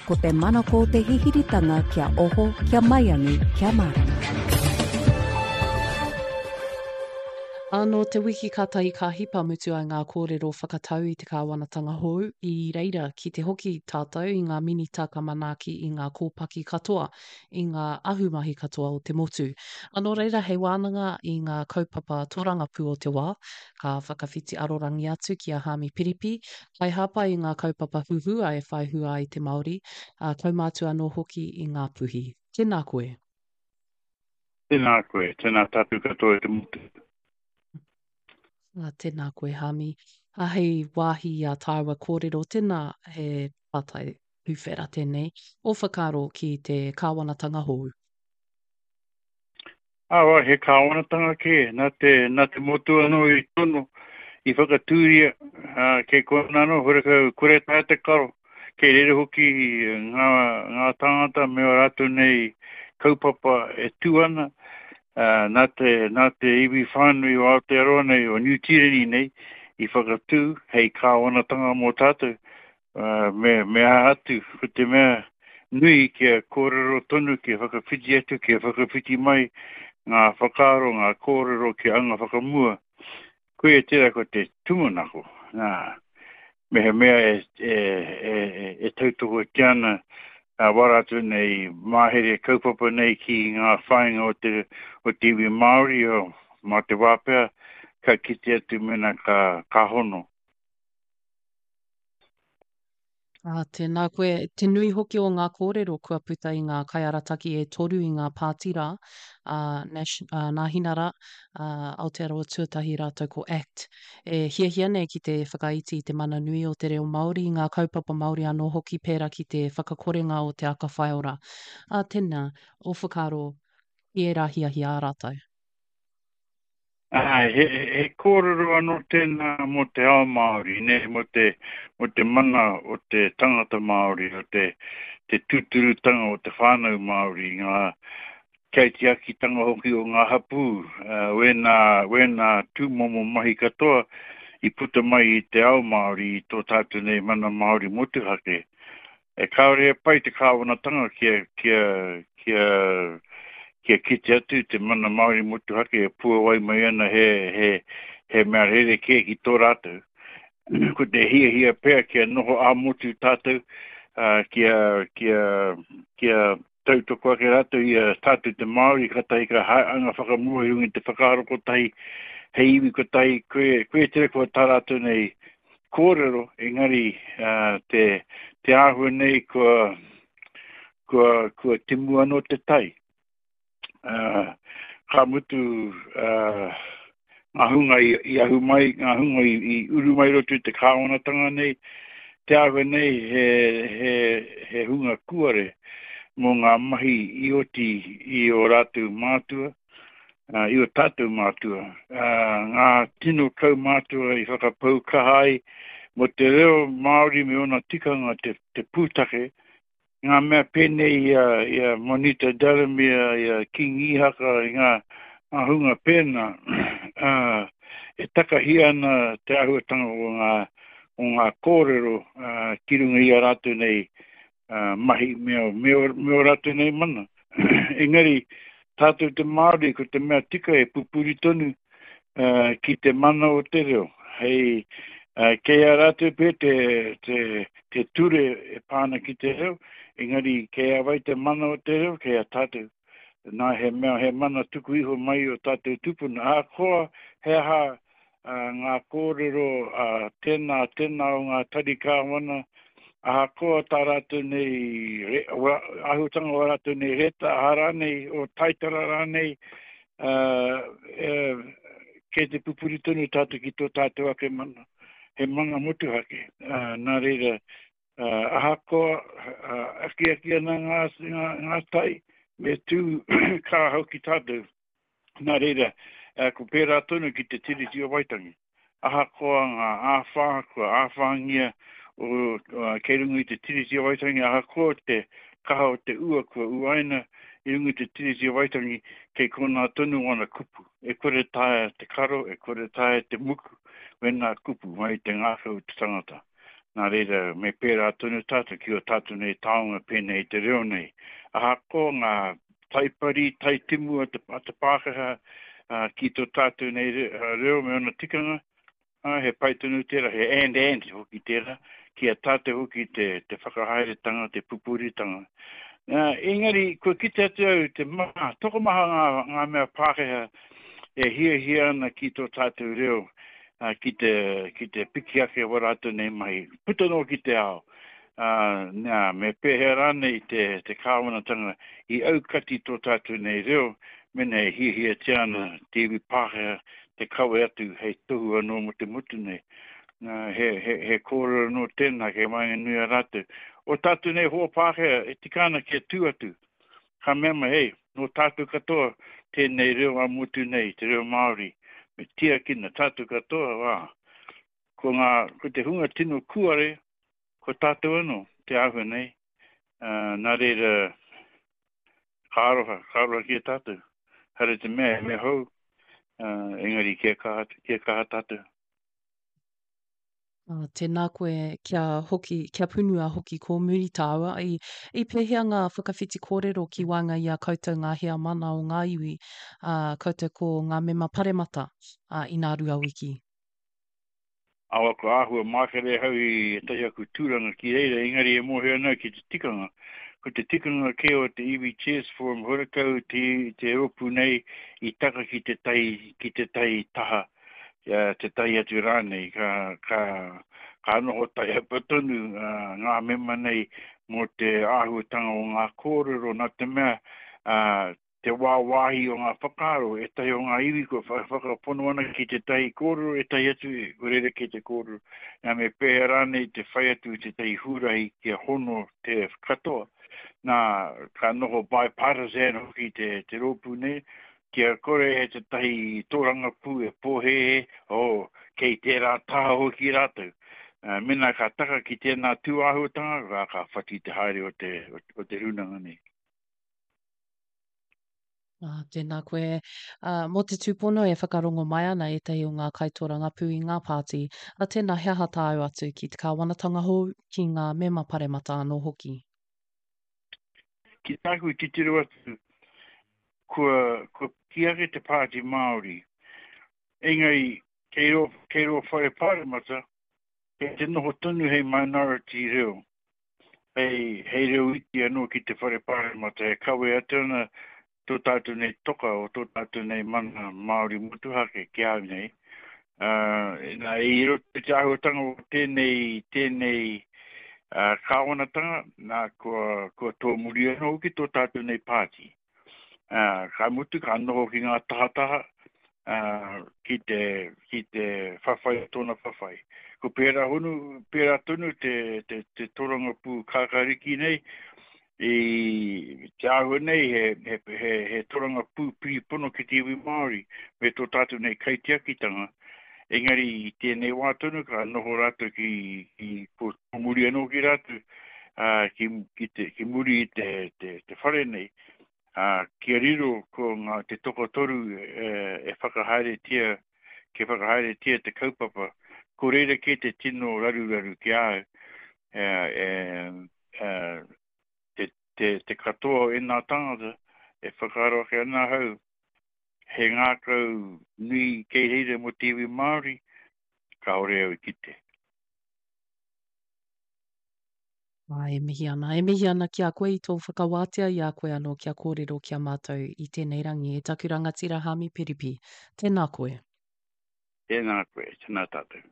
Ko te manako o te hihiritanga kia oho, kia maiangi, kia mārama. Ā, nō te wiki kātahi ka hipa mutu ai ngā kōrero whakatau i te kāwanatanga hou, i reira ki te hoki tātou i ngā minita ka manaaki i ngā kōpaki katoa, i ngā ahumahi katoa o te motu. Ā, nō reira hei wānanga i ngā kaupapa tōrangapū o te wā, ka whakawhiti arorangi atu ki a Haami Piripi, Kaihāpai i ngā kaupapa huhua e whai hua ai te Māori, ā, kaumātua anō hoki i Ngāpuhi. Tēnā koe. Tēnā koe, tēnā tātou katoa e te motu. Ā, tēnā koe Hami. Ā, hei wāhi i ā tāua kōrero, tēnā he pātai tuwhera tēnei, ō whakaaro ki te kāwanatanga hou. Awa, he kāwanatanga kē, nā te, nā te motu anō i tono, i whakatūria, ā, kei konā anō, horekau, kore taea te karo, kei reira hoki ngā, ngā tāngata me ō rātou nei kaupapa e tū ana, ā, nā te, nā te iwi whānui o Aotearoa nei, o Niu Tīreni nei, i whakatū hei kāwanatanga mō tātou, Ā, me, me aha atu, ko te mea nui kia kōrero tonu, kia whakawhiti atu, kia whakawhiti mai ngā whakaaro, ngā kōrero kia anga whakamua. Koia tērā ko te tūmanako. Nā, mehemea e, e, e, e, e tautokotia ana a wā rātou nei mahere kaupapa nei ki ngā whāinga o te, o te iwi Māori, o, mā te wā pea, ka kite atu mēnā ka, ka hono. Ā, tēnā koe. Te nui hoki o ngā kōrero kua puta i ngā kaiarataki e toru i ngā pāti rā, a Nash, a Nāhinara, a Aotearoa Tuatahi rātou ko act, e hiahia nei ki te whakaiti i te mana nui o te reo Māori, i ngā kaupapa Māori anō hoki pērā ki te whakakorenga o te aka whaiora. Ā, tēnā, ō whakaaro ki ērā hiahia ā rātou. Āe, he, he kōrero anō tēnā mō te ao Māori, nē, mō te, mō te mana o te tangata Māori, o te, te tūturutanga o te whānau Māori, ngā kaitiakitanga hoki o ngā hapū, uh, wēnā, wēnā tūmomo mahi katoa i puta mai i te ao Māori, i tō tātou nei mana Māori motuhake. E kāore e pai te kāwanatanga kia, kia, kia, kia kite atu te mana Māori motuhake e puawai mai ana he, he, he mea rerekē ki tō rātou. Ko te hiahia pea kia noho ā-motu tātou, uh, kia, kia, kia tautoko ake rātou i a tātou te Māori, kātahi ka anga whakamua i runga i te whakaaro kotahi, hei iwi kotahi, koe, koe tere kua tā rātou nei kōrero, engari uh, te, te āhua nei kua, kua, kua timu anō te tai. Uh, ka mutu uh, ngā hunga i, i ahu mai, ngā hunga i, i uru mai roto i te kāwanatanga nei, te āhua nei he, he, he hunga kuare mō ngā mahi i oti i ō rātou mātua, uh, i o tātou mātua, uh, ngā tino kaumātua i whakapau kaha ai mō te reo Māori me ōna tikanga te, te pūtake, ngā mea pēnei i a, i a Monita Delamere, i a King Ihaka, i ngā, ngā hunga pēnā, uh, e takahia ana te āhuatanga o ngā, o ngā kōrero uh, ki runga i a rātou nei uh, mahi me o, me o, me o rātou nei mana. Engari, tātou te Māori, ko te mea tika e pupuri tonu uh, ki te mana o te reo. Hei, uh, kei a rātou pē te, te, te ture e pā ana ki te reo, engari kei a wai te mana o te reo, kei a tātou. Nā, he mea, he mana tuku iho mai o tātou tupuna. Ahakoa he aha uh, ngā kōrero a uh, tēnā, tēnā o ngā tari kāwana, ahakoa tā rātou nei, re, wa, āhuatanga o rātou nei reta, aha rānei, o taitara rānei, uh, uh, kei te pupuri tonu tātou ki tō tātou ake mana, he mana motuhake. Uh, nā reira, uh, ahakoa uh, akiaki ana ngā, ngā, ngā tai, me tū kā hoki tātou. Nā reira, uh, ko pērā tonu ki te Tiriti o Waitangi. Ahakoa ngā āwhā, kua āwhāngia o, uh, kei runga i te Tiriti o Waitangi, ahakoa te kaha o te ua kua uaina i runga i te Tiriti o Waitangi, kei konā tonu wana kupu. E kore taea te karo, e kore taea te muku, wēnā kupu mai i te ngākau o te tangata. Nā reira, me pērā tonu tātou ki ō tātou nei taonga pēnei i te reo nei. Ahakoa ngā taipari, taitimu a te, a te Pākehā ki tō tātou nei reo me ōna tikanga, ā, he pai tonu tērā, he and and hoki tērā, ki a tātou hoki te, te whakahaeretanga, te pupuritanga. Nā, engari, kua kite atu au te maha, tokomaha ngā, ngā mea Pākehā e hiahia ana ki tō tātou reo, ā, ki te, ki te piki ake wā rātou nei mahi, puta noa ki te ao. Ā, nā, me pēhea rānei te, te kāwanatanga i aukati tō tātou nei reo, mēnā e hiahiatia ana te iwi Pākehā te kawe atu hei tohu anō mō te motu nei. Nā, he, he, he kōrero anō tēnā kei waenganui a rātou. O tātou nei hoa Pākehā e tika ana kia tū atu. Ka mea mai, hei, nō tātou katoa tēnei reo ā-motu nei, te reo Māori, me tiakina tātou katoa, ā, ko ngā, ko te hunga tino kuare, ko tātou anō te āhua nei, ā, nā reira, ka aroha, ka aroha ki a tātou. Haere te mea, he mea hou, ā, engari kia kaha, kia kaha tātou. Ā, tēnā koe kia hoki, kia punua hoki ko muri tāua. I, i pēhea ngā whakawhiti kōrero ki waenga i a koutou ngā heamana o ngā iwi, ā, koutou ko ngā mema paremata, ā, inā Ruawiki? Awa kua āhua mākere ahau i ētahi aku tūranga ki reira, engari e mōhio ana au ki te tikanga. Ko te tikanga kē o te Iwi Chairs Forum horekau te, te rōpū nei i taka ki tētahi, ki tētahi taha, tētahi atu rānei. Ka, ka, ka noho taiapa tonu ngā mema nei mō te āhuatanga o ngā kōrero, nā te mea, te wāwāhi o ngā whakaaro, ētahi o ngā iwi kua whakapono ana ki tētahi kōrero, ētahi atu kua rerekē te kōrero. Nā, me pēhea rānei te whai atu i tētahi huarahi kia hono te katoa. Nā, ka noho bipartisan hoki te, te rōpū nei, kia kore e tētahi tōrangapū e pōhēhē, oh, kei tērā taha hoki rātou. Mēnā ka taka ki tēnā tūāhuatanga, ka, ka whati te haere o te, o te rūnanga nei. Ah, tēnā koe. Uh, mō te tūpono e whakarongo mai ana ētahi o ngā kaitōrangapū i ngā pāti. Uh, tēnā, he aha tāu atu ki te kāwanatanga hou, ki ngā mema paremata anō hoki? Ki tāku titiro atu, kua, kua piki ake te Pāti Māori. Engari, kei rō, kei rō whare paremata, kei te noho tonu hei minority reo. hei, hei reo iti anō ki te whare pāremata e kawe atu ana tō tātou nei toka o tō tātou nei mana Māori motuhake ki a au nei. Uh, nā, i roto i te āhuatanga o tēnei, tēnei uh, kāwanatanga, nā, kua, kua tōmuri anō hoki tō tātou nei pāti. Ā, ka mutu, ka noho ki ngā tahataha, ā, ki te, ki te whawhai o tōna whawhai. Ko pērā honu, pērā tonu te, te, te torangapū kākāriki nei, i te āhua nei he, he, he, he torangapū piripono ki te iwi Māori me tō tātou nei kaitiakitanga. Engari i tēnei wā tonu ka noho rātou ki, ki ko muri anō ki rātou, ā, ki, ki, te, ki muri i te, te, te whare nei, ā, kia riro ko ngā, te tokotoru e, e whakahaeretia, kia whakahaeretia te kaupapa, ko reira kē te tino raruraru ki a au, e, e, e, te, te, te katoa o ēnā tāngata e whakaaro ake ana ahau, he ngākau nui kei reira mō te iwi Māori, kāore au i kite. Ā, e mihi ana, e mihi ana ki a koe i tō whakawātea i a koe anō kia kōrero ki a mātou i tēnei rangi e taku rangatira Haami Piripi. Tēnā koe. Tēnā koe, tēnā tātou.